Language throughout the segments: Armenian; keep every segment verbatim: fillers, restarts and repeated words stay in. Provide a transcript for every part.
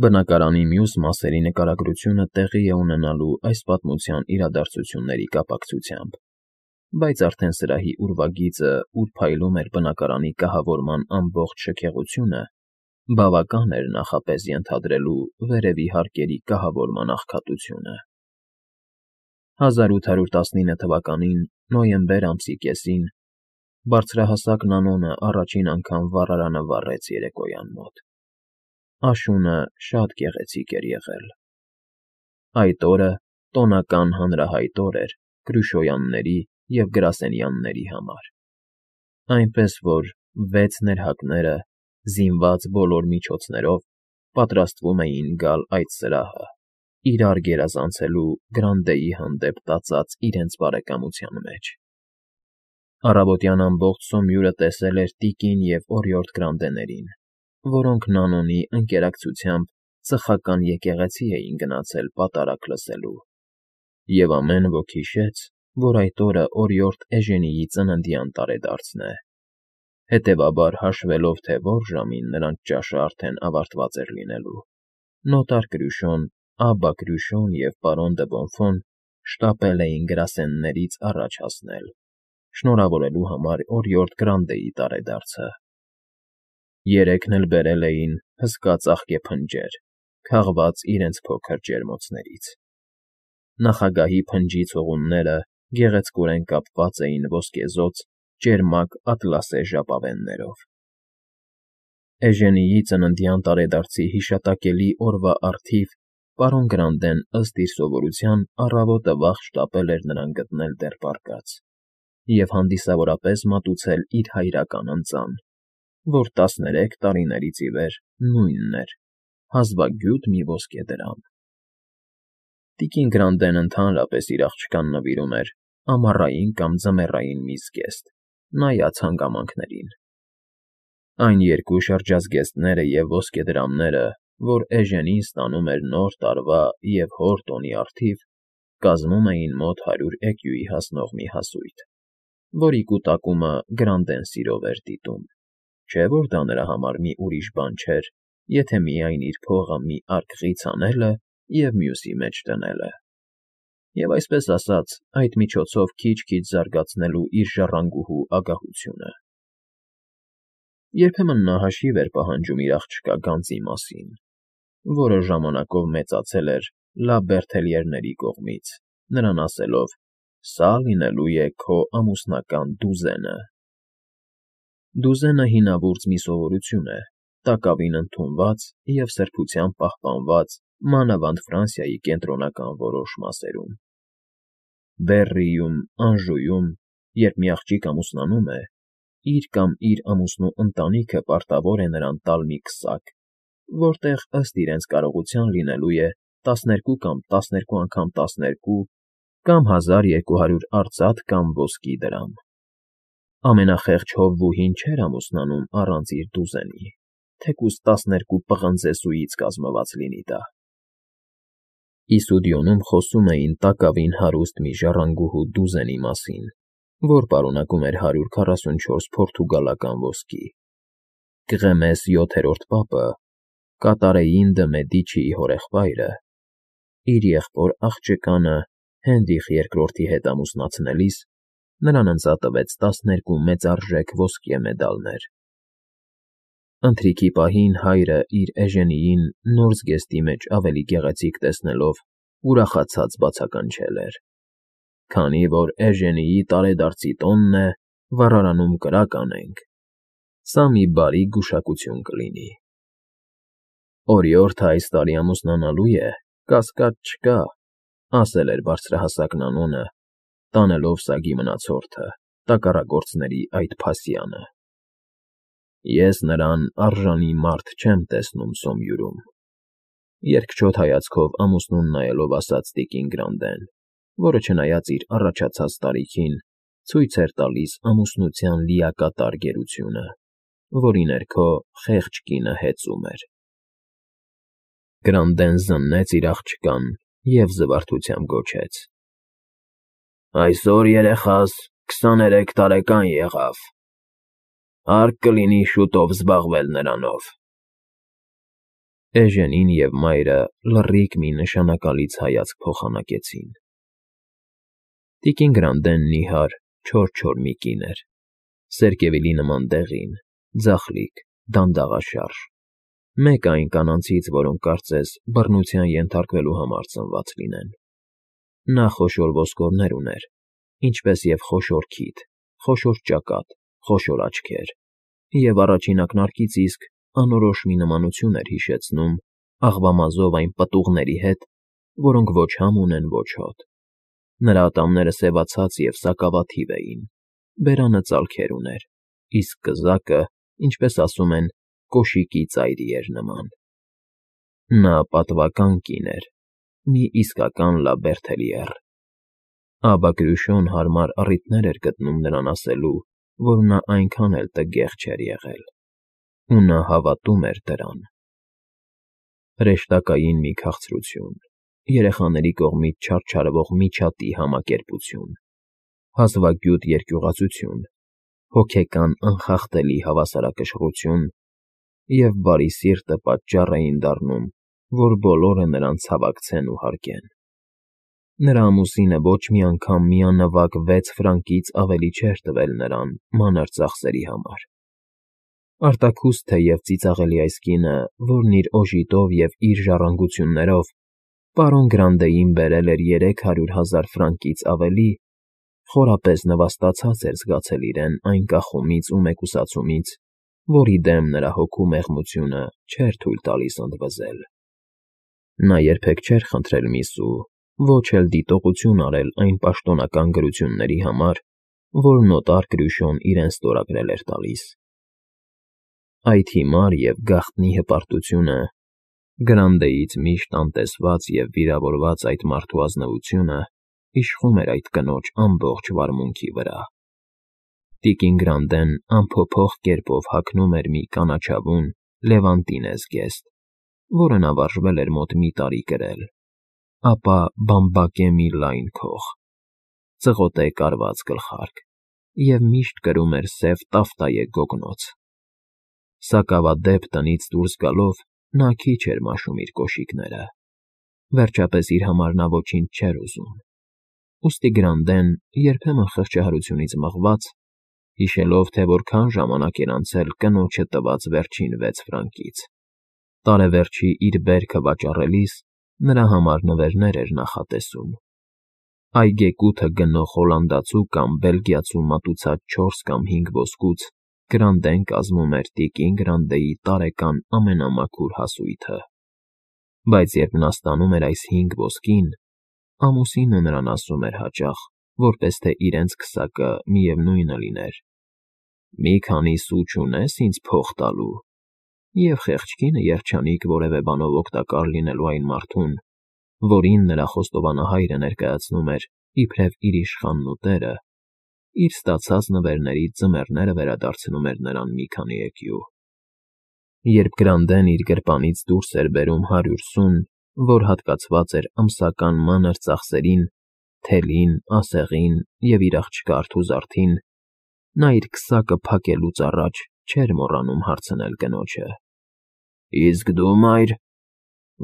Բնակարանի մյուս մասերի նկարագրությունը տեղի է ունենալու այս պատմության իրադարձությունների կապակցությամբ, բայց արդեն սրահի ուրվագիծը, ուր փայլում էր բնակարանի կահավորման ամբողջ շքեղությունը, բավական էր նախապես ենթադրելու վերևի հարկերի կահավորման աղքատությունը։ հազար ութ հարյուր տասնինը թվականին նոյեմբեր ամսի կեսին բարձրահասակ Նանոնը առաջին անգամ վառարանը վառեց երեկոյան մոտ։ Աշունը շատ գեղեցիկ էր եղել։ Այդ օրը տոնական հանրահայտ օր էր Կրուշոյանների և Գրասենյանների համար, այնպես որ վեց ներհակները, զինված բոլոր միջոցներով, պատրաստվում էին գալ այդ սրահը, իրար գերազանցելու Գրանդեի հանդեպ տածած իրենց բարեկամության մեջ։ Առավոտյան ամբողջ Սոմյուրը տեսել էր տիկին և օրիորդ Գրանդեներին, որոնք Նանոնի ընկերակցությամբ ծխական եկեղեցի էին գնացել պատարագ լսելու, և ամեն ոք հիշեց, որ այդ օրը օրիորդ Էժենիի ծննդյան տարեդարձն է, հետևաբար հաշվելով, թե որ ժամին նրանց ճաշը արդեն ավարտված էր լինելու, նոտար Կրյուշոն, Աբբա Կրյուշոն և պարոն դը Բոնֆոն շտապել էին Գրասեններից առաջ հասնել, շնորհավորելու համար օրիորդ Գրանդեի տարեդարձը։ Երեքն էլ բերել էին հսկա ծաղկե փնջեր, քաղված իրենց փոքր ջերմոցներից։ Նախագահի փնջի ցողունները գեղեցկորեն կապված էին ոսկեզօծ ճերմակ ատլասե ժապավեններով։ Էժենիի ծննդյան տարեդարձի հիշատակելի օրվա առթիվ պարոն Գրանդեն, ըստ իր սովորության, առավոտը վաղ շտապել էր նրան գտնել դեռ պառկած և հանդիսավորապես մատուցել իր հայրական ընծան, որ տասներեք տարիներից ի վեր նույնն էր, հազվագյուտ մի ոսկե դրամ։ Տիկին Գրանդեն ընդհանրապես իր աղջկան նվիրում էր ամառային կամ ձմեռային մի զգեստ, նայած հանգամանքներին։ Այն երկու շրջազգեստները և ոսկեդրամները, որ Էժենին ստանում էր Նոր տարվա և հոր տոնի առթիվ, կազմում էին մոտ հարյուր էկյուի հասնող մի հասույթ, որի կուտակումը Գրանդեն սիրով էր դիտում, չէ՞ որ դա նրա համար մի ուրիշ բան չէր, եթե միայն իր փողը մի արկղից հանելը և մյուսի մեջ դնելը, և այսպես ասած, այդ միջոցով քիչ֊քիչ զարգացնելու իր ժառանգուհու ագահությունը։ Երբեմն նա հաշիվ էր պահանջում իր աղջկա գանձի մասին, որը ժամանակով մեծացել էր Լա Բերթելյերների կողմից, նրան ասելով. «Սա լինելու է քո ամուսնական դուզենը»։ Դուզենը հինավուրց մի սովորություն է, տակավին ընդունված և սրբությամբ պահպանված մանավանդ Ֆրանսիայի կենտրոնական որոշ մասերում։ Բեռրիում, Անժուում, երբ մի աղջիկ ամուսնանում է, իր կամ իր ամուսնու ընտանիքը պարտավոր է նրան տալ մի քսակ, որտեղ ըստ իրենց կարողության լինելու է տասներկու կամ տասներկու անգամ տասներկու կամ հազար երկու հարյուր արծաթ կամ ոսկի դրամ։ Ամենախեղճ հովվուհին չէր ամուսնանում առանց իր դուզենի, թեկուզ տասներկու պղնձեսուից կազմված լինի դա։ Իսուդիոնում խոսում էին տակավին հարուստ մի ժառանգուհու դուզենի մասին, որ պարունակում էր հարյուր քառասունչորս փորտուգալական ոսկի։ Կղեմես յոթերորդ պապը, Կատարեին դը Մեդիչիի հորեղբայրը, իր եղբոր աղջկանը Հենրիխ երկրորդի հետ ամուսնացնելիս նրան ընծատվեց տասներկու մեծարժեք ոսկե մեդալներ։ Ընթրիքի պահին հայրը իր Էժենիին նոր զգեստի մեջ ավելի գեղեցիկ տեսնելով ուրախացած բացականչել էր. «Քանի որ Էժենիի տարեդարձի տոնն է, վառարանում կրակ անենք, սա մի բարի գուշակություն կլինի»։ «Օրիորդը այս տարի ամուսնանալու է, կասկած չկա», ասել էր բարձրահասակ Նանոնը, տանելով սագի մնացորդը, տակառագործների այդ փասյանը։ «Ես նրան արժանի մարդ չեմ տեսնում Սոմյուրում», երկչոտ հայացքով ամուսնուն նայելով ասաց տիկին Գրանդեն, որը չնայած իր առաջացած տարիքին, ցույց էր տալիս ամուսնության լիակատար գերությունը, որի ներքո խեղճ կինը հեծում էր։ Գրանդեն զննեց իր աղջկան և զվարթությամբ գոչեց. «Այսօր երեխաս քսաներեք տարեկան եղավ, հարկ կլինի շուտով զբաղվել նրանով»։ Էժենին և մայրը լռիկ մի նշանակալից հայացք փոխանակեցին։ Տիկին Գրանդեն նիհար, չոր-չոր մի կին էր, սերկևիլի նման դեղին, ձախլիկ, դանդաղաշարժ, մեկը այն կանանցից, որոնք կարծես բռնության ենթարկվելու համար ծնված լինեն։ Նա խոշոր ոսկորներ ուներ, ինչպես և խոշոր քիթ, խոշոր ճակատ, խոշոր աչքեր, և առաջին ակնարկից իսկ անորոշ մի նմանություն էր հիշեցնում աղվամազով այն պտուղների հետ, որոնք ոչ համ ունեն, ոչ հոտ։ Նրա ատամները սևացած և սակավաթիվ էին, բերանը ծալքեր ուներ, իսկ կզակը, ինչպես ասում են, կոշիկի ծայրի էր նման։ Նա պատվական կին էր, մի իսկական Լաբերթելիեր։ Աբա հարմար առիթներ էր գտնում նրան ասելու, որ նա այնքան էլ տգեղ չէր եղել, ու նա հավատում էր դրան։ Հրեշտակային մի քաղցրություն, երեխաների կողմից չարչարվող միջատի համակերպություն, հազվագյուտ երկյուղածություն, հոգեկան անխախտելի հավասարակշռություն և բարի սիրտը պատճառ էին դառնում, որ բոլորը նրան ցավակցեն ու հարգեն։ Նրա ամուսինը ոչ մի անգամ միանվագ վեց ֆրանկից ավելի չէր տվել նրան մանր ծախսերի համար։ Արտաքուստ թեև ծիծաղելի այս կինը, որն իր օժիտով և իր ժառանգություններով պարոն Գրանդեին բերել էր երեք հարյուր հազար ֆրանկից ավելի, խորապես նվաստացած էր զգացել իրեն այն կախումից ու մեկուսացումից, որի դեմ նրա հոգու մեղմությունը չէր թույլ տալիս ընդվզել։ Նա երբեք չէր խնդրել մի սու, ոչ էլ դիտողություն արել այն պաշտոնական գրությունների համար, որ նոտար Կրյուշոն իրեն ստորագրել էր տալիս։ Այդ հիմար և գաղտնի հպարտությունը, Գրանդեից միշտ անտեսված և վիրավորված այդ մարդու ազնվությունը իշխում էր այդ կնոջ ամբողջ վարմունքի վրա։ Տիկին Գրանդեն անփոփոխ կերպով հագնում էր մի կանաչավուն լևանտինե զգեստ, որը նա վարժվել էր մոտ մի տարի կրել, ապա բամբակե մի լայն քող, ծղոտե կարված գլխարկ և միշտ կրում էր սև տաֆտայե գոգնոց։ Սակավադեպ տնից դուրս գալով նա քիչ էր մաշում իր կոշիկները, վերջապես իր համար նա ոչինչ չէր ուզում, ուստի Գրանդեն, երբեմն խղճահարությունից մղված, հիշելով, թե որքան ժամանակ էր անցել կնոջը տված վերջին վեց ֆրանկից, տարեվերջի իր բերքը վաճառելիս նրա համար նվերներ էր նախատեսում։ Այգեկութը գնող հոլանդացու կամ բելգիացու մատուցած չորս կամ հինգ ոսկուց Գրանդեն կազմում էր տիկին Գրանդեի տարեկան ամենամաքուր հասույթը։ Բայց երբ նա ստանում էր այս հինգ ոսկին, ամուսինը նրան ասում էր հաճախ, որպես թե իրենց քսակը միևնույնը լիներ. «Մի քանի սու չունե՞ս ինձ փող տալու», և խեղճ կինը երջանիկ որևէ բանով օգտակար լինելու այն մարդուն, որին նրա խոստովանահայրը ներկայացնում էր իբրև իր իշխանն ու տերը, իր ստացած նվերներից ձմեռները վերադարձնում էր նրան մի քանի էկյու։ Երբ Գրանդեն իր գրպանից դուրս էր բերում հարյուր սուն, որ հատկացված էր ամսական մանր ծախսերին, թելին, ասեղին և իր աղջկա արթուզարդին, նա իր քսակը փակելուց առաջ չէր մոռանում հարցնել կնոջը. «Իսկ դու, մայր,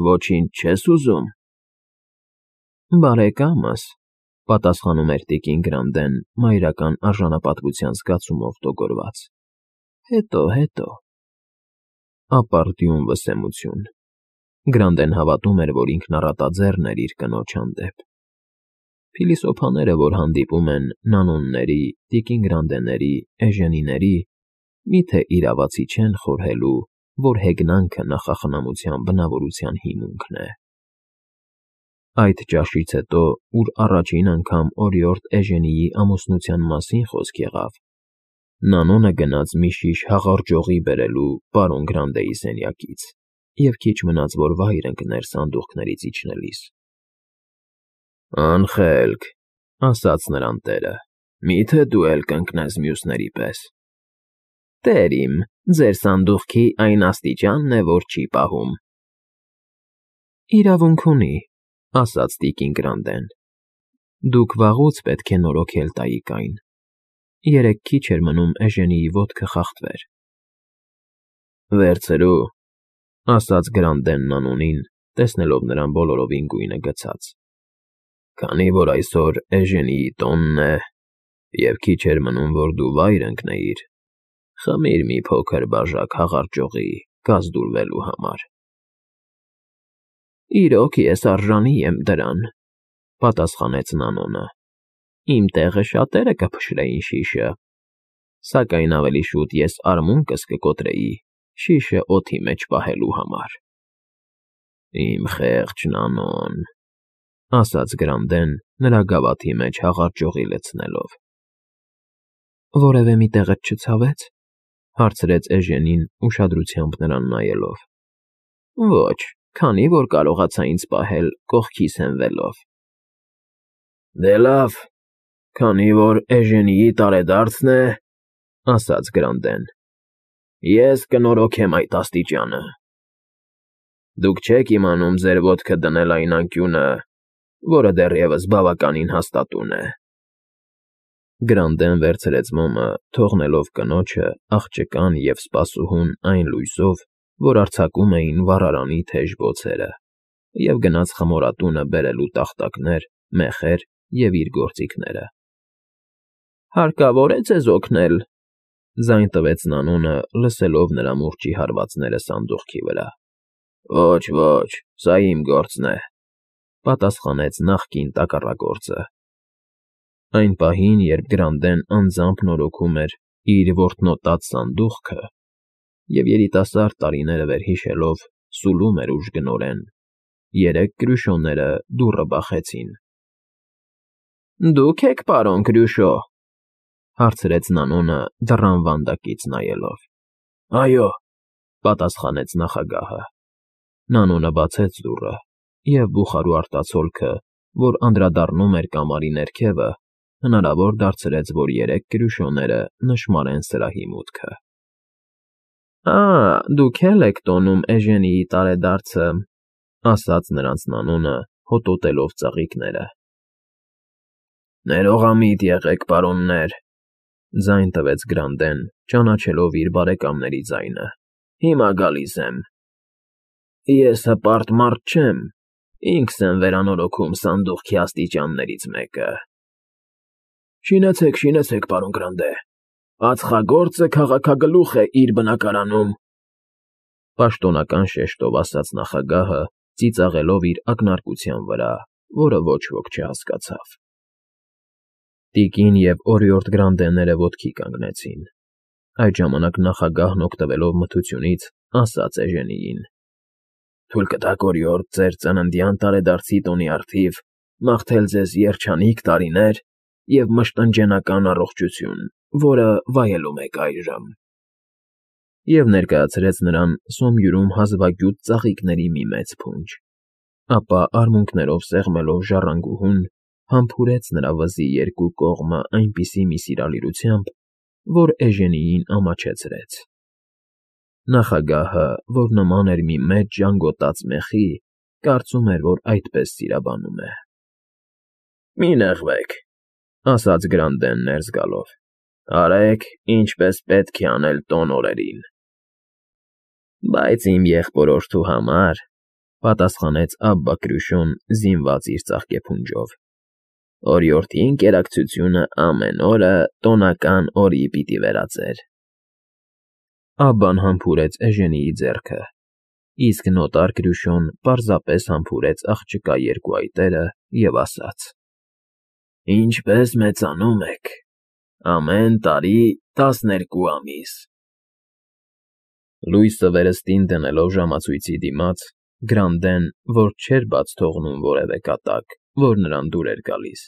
ոչինչ չե՞ս ուզում»։ «Բարեկամս,֊ պատասխանում էր տիկին Գրանդեն մայրական արժանապատվության զգացումով տոգորված,֊ հետո, հետո»։ Ապարդյուն վսեմություն։ Գրանդեն հավատում էր, որ ինքն առատաձեռն էր իր կնոջ հանդեպ։ Փիլիսոփաները, որ հանդիպում են նանոնների, տիկին Գրանդեների, էժենիների, մի՞թե իրավացի չեն խորհելու, որ հեգնանքը նախախնամության բնավորության հիմունքն է։ Այդ ճաշից հետո, ուր առաջին անգամ օրիորդ Էժենիի ամուսնության մասին խոսք եղավ, Նանոնը գնաց մի շիշ հաղարջողի բերելու պարոն Գրանդեի սենյակից և քիչ մնաց, որ վայր ընկներ սանդուղքներից իջնելիս։ «Անխելք,֊ ասաց նրան տերը,֊ մի՞թե դու էլ կընկնես մյուսների պես»։ «Տեր իմ, ձեր սանդուղքի այն աստիճանն է, որ չի պահում»։ «Իրավունք ունի,֊ ասաց տիկին Գրանդեն,֊ դուք վաղուց պետք է նորոգել տայիք այն. երեկ քիչ էր մնում Էժենիի ոտքը խախտվեր»։ «Վերցրու, ասաց Գրանդենն անունին, տեսնելով նրան բոլորովին գույնը գցած։ Քանի որ այսօր Էժենիի տոնն է, և քիչ էր մնում, որ դու վայր ընկնեիր, խմիր մի փոքր բաժակ հաղարջողի գազդուրվելու համար։ Իրոք ես արժանի եմ դրան, պատասխանեց Նանոնը, իմ տեղը շատերը կփշրեին շիշը, սակայն ավելի շուտ ես արմունկս կկոտրեի շիշը օդի մեջ պահելու համար։ Իմ խեղճ Նանոն, ասաց Գրանդեն, նրա գավաթի մեջ հաղարջողի լցնելով։ Որևէ մի տեղդ չցավե՞ց, հարցրեց Էժենին ուշադրությամբ նրան նայելով։ Ոչ, քանի որ կարողացա ինձ պահել կողքիս հենվելով։ Դե լավ, քանի որ Էժենիի տարեդարձն է, ասաց Գրանդեն, ես կնորոգեմ այդ աստիճանը։ Դուք չեք իմանում ձեր ոտքը դնել այն անկյունը, որը դեռևս բավականին հաստատուն է։ Գրանդեն վերցրեց մոմը, թողնելով կնոջը, աղջկան և սպասուհուն այն լույսով, որ արձակում էին վառարանի թեժ բոցերը, և գնաց խմորատունը բերելու տախտակներ, մեխեր և իր գործիքները։ Հարկավո՞ր է ձեզ օգնել, ձայն տվեց Նանոնը, լսելով նրա մուրճի հարվածները սանդուղքի վրա։ Ոչ, ոչ, սա իմ գործն է, պատասխանեց նախկին տակառագործը։ Այն պահին, երբ Գրանդեն անձամբ նորոգում էր իր որտնոտած սանդուղքը և երիտասարդ տարիները վերհիշելով սուլում էր ուժգնորեն, երեք կրյուշոները դուռը բախեցին։ Դու՞ք եք, պարոն Կրյուշո, հարցրեց Նանոնը դռան վանդակից նայելով։ Այո, պատասխանեց նախագահը։ Նանոնը բացեց դուռը, և բուխարու արտացոլքը, որ անդրադառնում էր կամարի ներքևը, հնարավոր դարձրեց, որ երեք կրյուշոները նշմարեն սրահի մուտքը։ Ա, դուք էլ եք տոնում Էժենիի տարեդարձը, ասաց նրանց Նանոնը, հոտոտելով ծաղիկները։ Ներողամիտ եղեք, պարոններ, ձայն տվեց Գրանդեն, ճանաչելով իր բարեկամների ձայնը։ Հիմա գալիս եմ։ Ես հպարտ մարդ չեմ, ինքս եմ վերանորոգում սանդուղքի աստիճաններից մեկը։ Շինեցեք, շինեցեք, պարոն Գրանդե, ածխագործը քաղաքագլուխ է իր բնակարանում, պաշտոնական շեշտով ասաց նախագահը, ծիծաղելով իր ակնարկության վրա, որը ոչ ոք չհասկացավ։ Տիկին և օրիորդ Գրանդեները ոտքի կանգնեցին։ Այդ ժամանակ նախագահն օգտվելով մթությունից, ասաց Էժենիին. Թույլ կտաք, օրիորդ, ձեր ծննդյան տարեդարձի տոնի առթիվ մաղթել ձեզ երջանիկ տարիներ և մշտնջենական առողջություն, որը վայելում եք այժմ։ Եվ ներկայացրեց նրան սոմյուրում հազվագյուտ ծաղիկների մի մեծ փունջ, ապա արմունկներով սեղմելով ժառանգուհուն, համբուրեց նրա վզի երկու կողմը այնպիսի մի սիրալիրությամբ, որ Էժենիին ամաչեցրեց։ Նախագահը, որ նման էր մի մեծ ժանգոտած մեխի, կարծում էր, որ այդպես սիրաբանում է։ Մի նեղվեք, ասաց Գրանդեն ներս գալով, արեք, ինչպես պետք է անել տոն օրերին։ Բայց իմ եղբորորդու համար, պատասխանեց Աբբա Կրյուշոն, զինված իր ծաղկեփունջով, օրիորդի ընկերակցությունը ամեն օրը տոնական օրի պիտի վերածեր։ Աբբան համբուրեց Էժենիի ձեռքը, իսկ նոտար Կրյուշոն պարզապես համբուրեց աղջկա երկու այտերը և ասաց. Ինչպես մեծանում եք, ամեն տարի տասներկու ամիս։ Լույսը վերստին դնելով ժամացույցի դիմաց, Գրանդեն, որ չէր բաց թողնում որևէ կատակ, որ նրան դուր էր գալիս,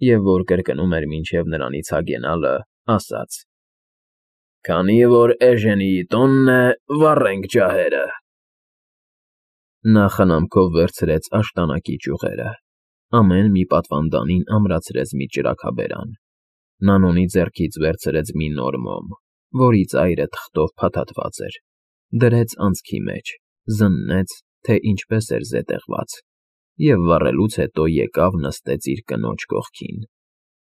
և որ կրկնում էր մինչև նրանից հագենալը, ասաց. Քանի որ Էժենիի տոնն է, վառենք ջահերը։ Նա խնամքով վերցրեց աշտանակի ճյուղերը, ամեն մի պատվանդանին ամրացրեց մի ճրագաբերան, Նանոնի ձեռքից վերցրեց մի նոր մոմ, որի ծայրը թղթով փաթաթված էր, դրեց անցքի մեջ, զննեց, թե ինչպես էր զետեղված, և վառելուց հետո եկավ նստեց իր կնոջ կողքին,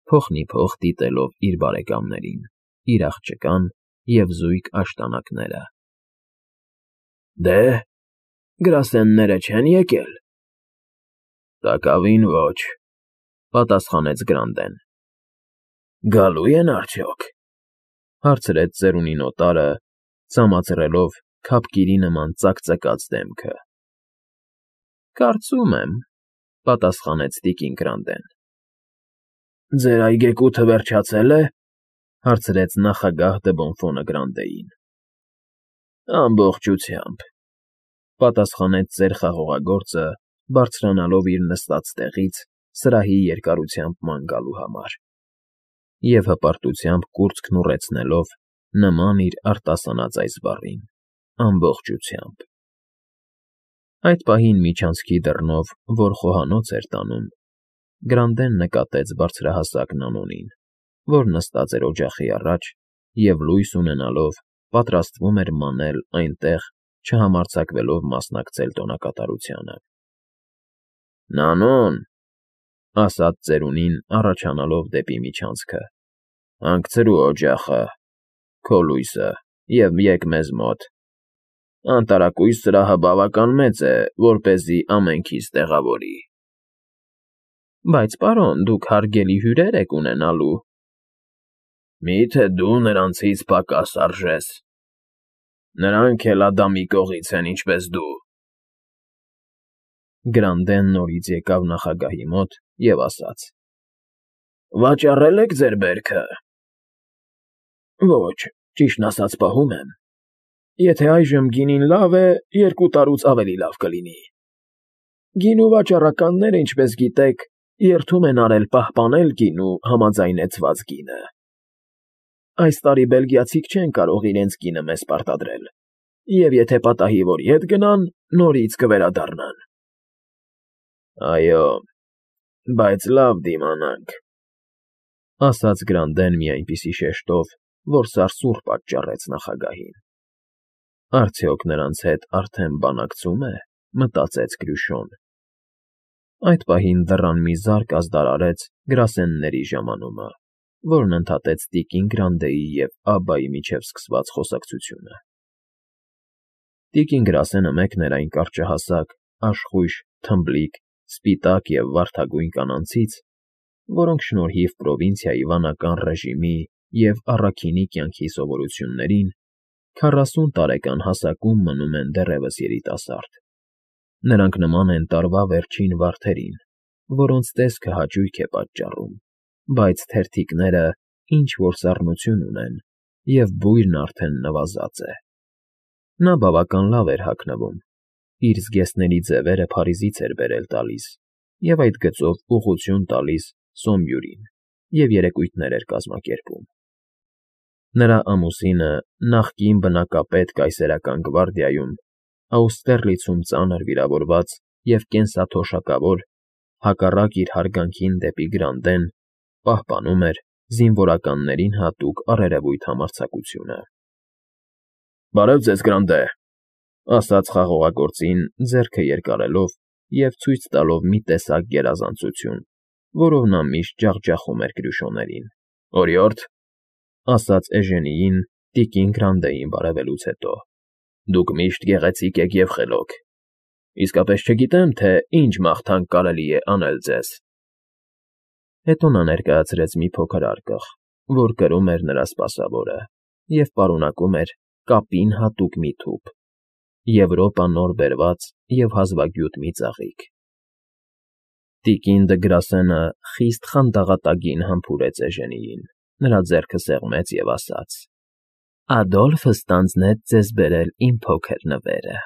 փոխնիփոխ դիտելով իր բարեկամներին, իր աղջկան և զույգ աշտանակները։ Դե, Գրասենները չեն եկել։ ֊ Տակավին ոչ,֊ պատասխանեց Գրանդեն։ ֊ Գալո՞ւ են արդյոք,֊ հարցրեց ծերունին օտարը, ցամացրելով քափկիրի նման ծակծկած դեմքը։ ֊ Կարծում եմ,֊ պատասխանեց տիկին Գրանդեն։ ֊ Ձեր այգեկութը վերջացե՞լ է,֊ հարցրեց նախագահ Դբոնֆոնը Գրանդեին։ ֊ Ամբողջությամբ,֊ պատասխանեց ծեր խաղողագործը, բարձրանալով իր նստած տեղից սրահի երկարությամբ ման գալու համար և հպարտությամբ կուրծքն ուռեցնելով նման իր արտասանած այս բառին՝ ամբողջությամբ։ Այդ պահին միջանցքի դռնով, որ խոհանոց էր տանում, Գրանդեն նկատեց բարձրահասակ Նանոնին, որ նստած էր օջախի առաջ և, լույս ունենալով, պատրաստվում էր մանել այնտեղ, չհամարձակվելով մասնակցել տոնակատարությանը։ ֊ Նանո՛ն,֊ ասաց ծերունին, առաջանալով դեպի միջանցքը,֊ հանգցրու օջախը, քո լույսը, և եկ մեզ մոտ… Անտարակույս սրահը բավական մեծ է, որպեսզի ամենքիզ տեղավորի։ ֊ Բայց, պարոն, դուք հարգելի հյուրեր եք ունենալու… ֊ Մի՞թե դու նրանցից պակաս արժես… Նրանք էլ Ադամի կողից են, ինչպես դու… Գրանդեն նորից եկավ նախագահի մոտ և ասաց. ֊ Վաճառե՞լ եք ձեր բերքը։ ֊ Ոչ, ճիշտն ասած պահում եմ. եթե այժմ գինին լավ է, երկու տարուց ավելի լավ կլինի… Գինու վաճառականները, ինչպես գիտեք, երդում են արել պահպանել գինու համաձայնեցված գինը… Այս տարի բելգիացիք չեն կարող իրենց գինը մեզ պարտադրել, և եթե պատահի որ ետ գնան, նորից կվերադառնան։ ֊ Այո, բայց լավ դիմանանք,֊ ասաց Գրանդեն մի այնպիսի շեշտով, որ սարսուռ պատճառեց նախագահին։ Արդյոք նրանց հետ արդեն բանակցում է, մտածեց Կրյուշոն։ Այդ պահին դռան մի զարկ ազդարարեց գրասենների ժամանումը, որն ընդհատեց տիկին Գրանդեի և Աբբայի միջև սկսված խոսակցությունը։ Տիկին գրասենը մեկն էր այն կարճահասակ, աշխույժ, թմբլիկ, սպիտակ և վարդագույն կանանցից, որոնք շնորհիվ պրովինցիայի վանական ռեժիմի և առաքինի կյանքի սովորույթներին քառասուն տարեկան հասակում մնում են դեռևս երիտասարդ։ Նրանք նման են տարվա վերջին վարդերին, որոնց տեսքը հաճույք է պատճառում, բայց թերթիկները ինչ֊որ սառնություն ունեն, և բույրն արդեն նվազած է։ Նա բավական լավ էր հագնվում, իր զգեստների ձևերը Փարիզից էր բերել տալիս և այդ գծով ուղղություն տալիս Սոմբյուրին և երեկույթներ էր կազմակերպում։ Նրա ամուսինը, նախկին բնակապետ կայսերական գվարդիայում, Աուստերլիցում ծանր վիրավորված և կենսաթոշակավոր, հակառակ իր հարգանքին դեպի Գրանդեն, պահպանում էր զինվորականներին հատուկ առերևույթ համարձակությունը։ ֊ Բարև ձեզ, Գրանդե,֊ ասաց խաղողագործին, ձեռքը երկարելով և ցույց տալով մի տեսակ գերազանցություն, որով նա միշտ ջախջախում էր Կրյուշոներին։ ֊ Օրիորդ,֊ ասաց Էժենիին տիկին Գրանդեին բարևելուց հետո,֊ դուք միշտ գեղեցիկ եք և խելոք… Իսկապես չգիտեմ, թե ինչ մաղթանք կարելի է անել ձեզ… Հետո նա ներկայացրեց մի փոքր արկղ, որ կրում էր նրա սպասավորը և պարունակում էր կապին հատուկ մի թուփ, Եվրոպա նոր բերված և հազվագյուտ մի ծաղիկ։ Տիկին Դը Գրասենը խիստ խանդաղատագին համբուրեց Էժենիին, նրա ձեռքը սեղմեց և ասաց. ֊ Ադոլֆը ստանձնեց ձեզ բերել իմ փոքր նվերը։